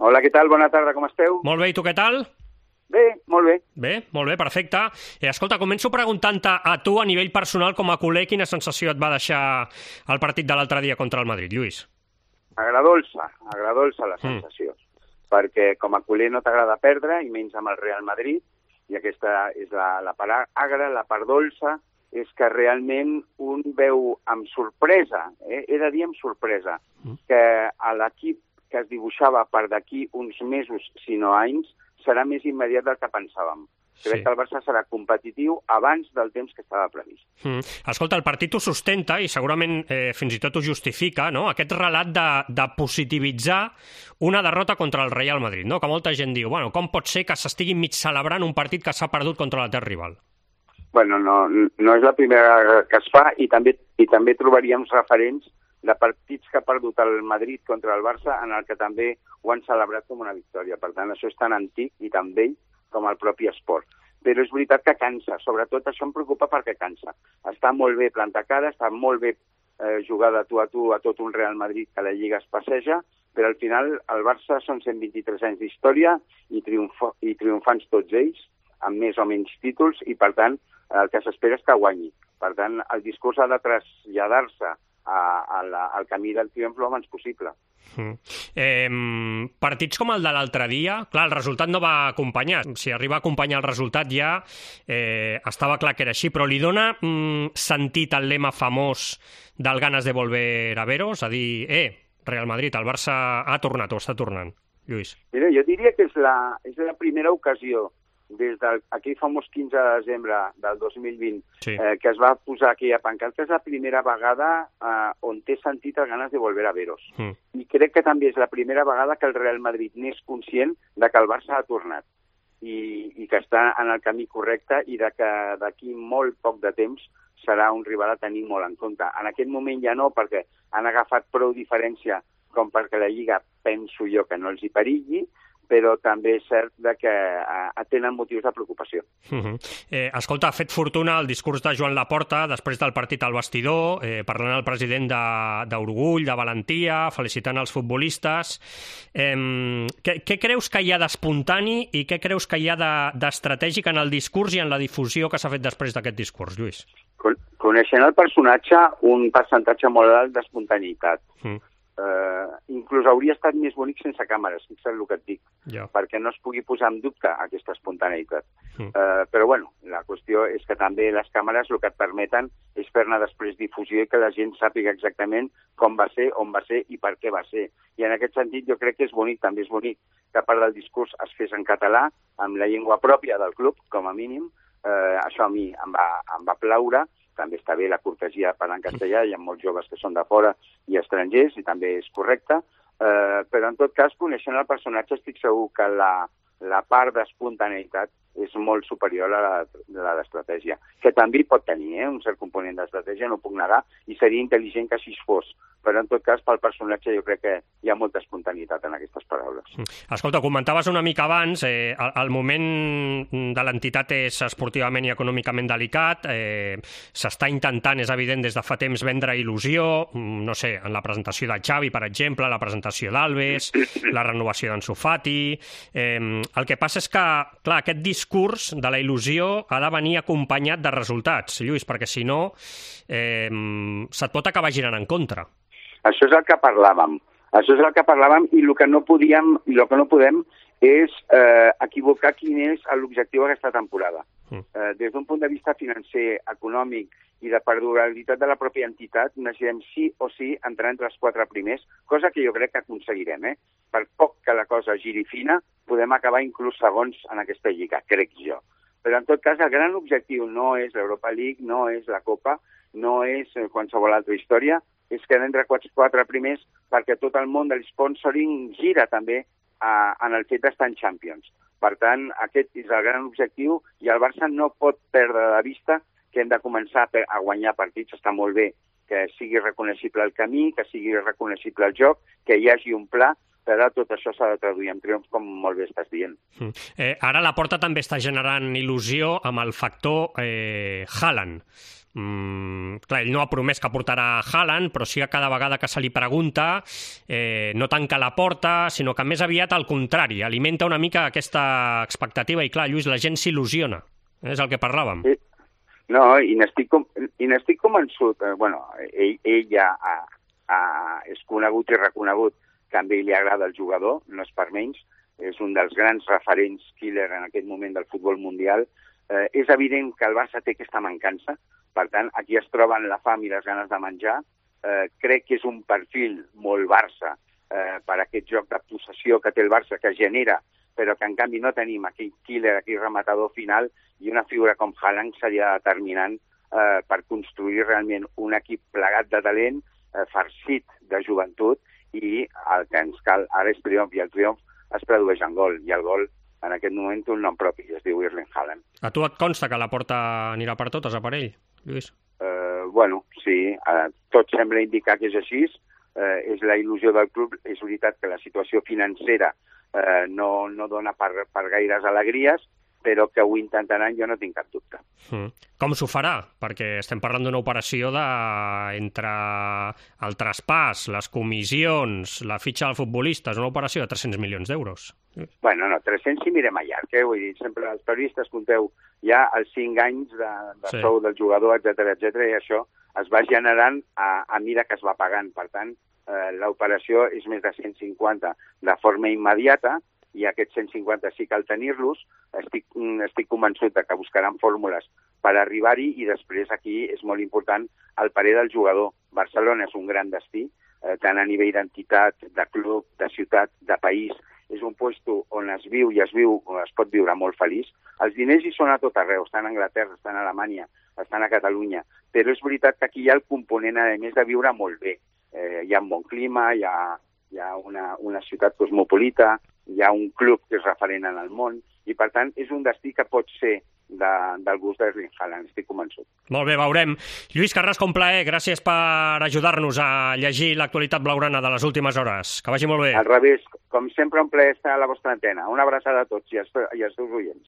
Hola, què tal? Bona tarda, com esteu? Molt bé, i tu què tal? Bé, molt bé. Molt bé, perfecte. Escolta, començo preguntant-te a tu, a nivell personal, com a culer, quina sensació et va deixar el partit de l'altre dia contra el Madrid, Lluís? Agradolça la sensació. Perquè com a culer no t'agrada perdre, i menys amb el Real Madrid, i aquesta és la part agra, la part dolça, és que realment un veu amb sorpresa, he de dir amb sorpresa, que a l'equip que es dibuixava per d'aquí uns mesos, si no anys, serà més immediat del que pensàvem. Crec que el Barça serà competitiu abans del temps que estava previst. Escolta, el partit ho sustenta i segurament fins i tot ho justifica, no? Aquest relat de positivitzar una derrota contra el Real Madrid, no? Que molta gent diu, bueno, com pot ser que s'estigui mig celebrant un partit que s'ha perdut contra l'etern rival? Bueno, no és la primera que es fa i també trobaríem referents de partits que ha perdut el Madrid contra el Barça en el que també ho han celebrat com una victòria. Per tant, això és tan antic i tan vell com el propi esport. Però és veritat que cansa, sobretot això em preocupa perquè cansa. Està molt bé plantar cara, està molt bé jugar de tu a tot un Real Madrid que la Lliga es passeja, però al final el Barça són 123 anys d'història i triomfants tots ells, amb més o menys títols, i per tant el que s'espera és que guanyi. Per tant, el discurs ha de traslladar-se al camí del triomf lo abans possible. Partits com el de l'altre dia, clar, el resultat no va acompanyar. Si arriba a acompanyar el resultat ja estava clar que era així, però li dona sentit al lema famós del ganas de volver a veros, a dir, Real Madrid, el Barça ha tornat o està tornant, Lluís? Mira, jo diria que és la primera ocasió des d'aquell famós 15 de desembre del 2020, que es va posar aquella pancarta, és la primera vegada on té sentit el ganes de volver a veros. I crec que també és la primera vegada que el Real Madrid n'és conscient de que el Barça ha tornat i que està en el camí correcte i de que d'aquí molt poc de temps serà un rival a tenir molt en compte. En aquest moment ja no, perquè han agafat prou diferència com perquè la Lliga penso jo que no els hi perilli, però també és cert que tenen motius de preocupació. Escolta, ha fet fortuna el discurs de Joan Laporta després del partit al vestidor, parlant al president d'orgull, de valentia, felicitant els futbolistes. Què creus que hi ha d'espontani i què creus que hi ha d'estratègic en el discurs i en la difusió que s'ha fet després d'aquest discurs, Lluís? Coneixent el personatge, un percentatge molt alt d'espontaneïtat. Inclús hauria estat més bonic sense càmeres, fixa't el que et dic, perquè no es pugui posar en dubte aquesta espontaneïtat. Però bueno, la qüestió és que també les càmeres el que et permeten és fer-ne després difusió i que la gent sàpiga exactament com va ser, on va ser i per què va ser. I en aquest sentit jo crec que és bonic, també és bonic que a part del discurs es fes en català, amb la llengua pròpia del club, com a mínim. Això a mi em va plaure. També està bé la cortesia parlar en castellà, hi ha molts joves que són de fora i estrangers, i també és correcte, però en tot cas, coneixent el personatge, estic segur que la part d'espontaneïtat és molt superior a la d'estratègia, que també pot tenir un cert component d'estratègia, no ho puc negar, i seria intel·ligent que així fos, però en tot cas pel personatge jo crec que hi ha molta espontaneïtat en aquestes paraules. Escolta, comentaves una mica abans, el moment de l'entitat és esportivament i econòmicament delicat, s'està intentant, és evident, des de fa temps vendre il·lusió, no sé, en la presentació de Xavi, per exemple, la presentació d'Alves, la renovació d'Ansu Fati. El que passa és que, clar, aquest discurs de la il·lusió ha de venir acompanyat de resultats, Lluís, perquè si no se't pot acabar girant en contra. Això és el que parlàvem. I el que no podem és equivocar quin és l'objectiu d'aquesta temporada. Des d'un punt de vista financer, econòmic i de perdurabilitat de la pròpia entitat, necessitem sí o sí entrar entre els 4 primers, cosa que jo crec que aconseguirem. Per poc que la cosa giri fina, podem acabar inclús segons en aquesta lliga, crec jo. Però en tot cas, el gran objectiu no és l'Europa League, no és la Copa, no és qualsevol altra història, és quedar entre 4 primers perquè tot el món de l'sponsoring gira també en el fet d'estar en Champions. Per tant, aquest és el gran objectiu i el Barça no pot perdre de vista que hem de començar a guanyar partits. Està molt bé que sigui reconeixible el camí, que sigui reconeixible el joc, que hi hagi un pla, però tot això s'ha de traduir en triomf, com molt bé estàs dient. Ara la Porta també està generant il·lusió amb el factor Haaland. Clar, ell no ha promès que portarà Haaland, però sí que cada vegada que se li pregunta no tanca la porta, sinó que més aviat al contrari, alimenta una mica aquesta expectativa i clar, Lluís, la gent s'il·lusiona, és el que parlàvem. No, i n'estic convençut, ell ja és conegut i reconegut que a ell li agrada el jugador, no és per menys, és un dels grans referents killer en aquest moment del futbol mundial. És evident que el Barça té aquesta mancança, per tant, aquí es troben la fam i les ganes de menjar. Crec que és un perfil molt Barça per aquest joc de possessió que té el Barça, que genera, però que en canvi no tenim aquell killer, aquell rematador final, i una figura com Haaland seria determinant per construir realment un equip plegat de talent, farcit de joventut, i el que ens cal ara és triomf, i el triomf es tradueix en gol, i el gol en aquest moment té un nom propi, es diu Erling Haaland. A tu et consta que la porta anirà per totes a per ell, Lluís? Sí, tot sembla indicar que és així, és la il·lusió del club, és veritat que la situació financera no dona per gaires alegries, però que ho intentaran, jo no tinc cap dubte. Com s'ho farà? Perquè estem parlant d'una operació entre el traspàs, les comissions, la fitxa del futbolista, és una operació de 300 milions d'euros. Bueno, no, 300 si mirem a llarg, vull dir, sempre els periodistes conteu ja els 5 anys de sou del jugador, etc, i això es va generant a mida que es va pagant. Per tant, l'operació és més de 150 de forma immediata, i aquests 150 sí cal tenir-los. Estic convençut que buscaran fórmules per arribar-hi, i després aquí és molt important el parer del jugador. Barcelona és un gran destí, tant a nivell d'entitat, de club, de ciutat, de país. És un lloc on es viu i es pot viure molt feliç. Els diners hi són a tot arreu, estan a Anglaterra, estan a Alemanya, estan a Catalunya, però és veritat que aquí hi ha el component, a més de viure molt bé. Hi ha un bon clima, hi ha una ciutat cosmopolita, hi ha un club que és referent en el món, i per tant és un destí que pot ser del gust d'Erling Haaland, estic convençut. Molt bé, veurem. Lluís Carrasco, un plaer, gràcies per ajudar-nos a llegir l'actualitat blaugrana de les últimes hores. Que vagi molt bé. Al revés, com sempre, un plaer estar a la vostra antena. Una abraçada a tots i als teus oients.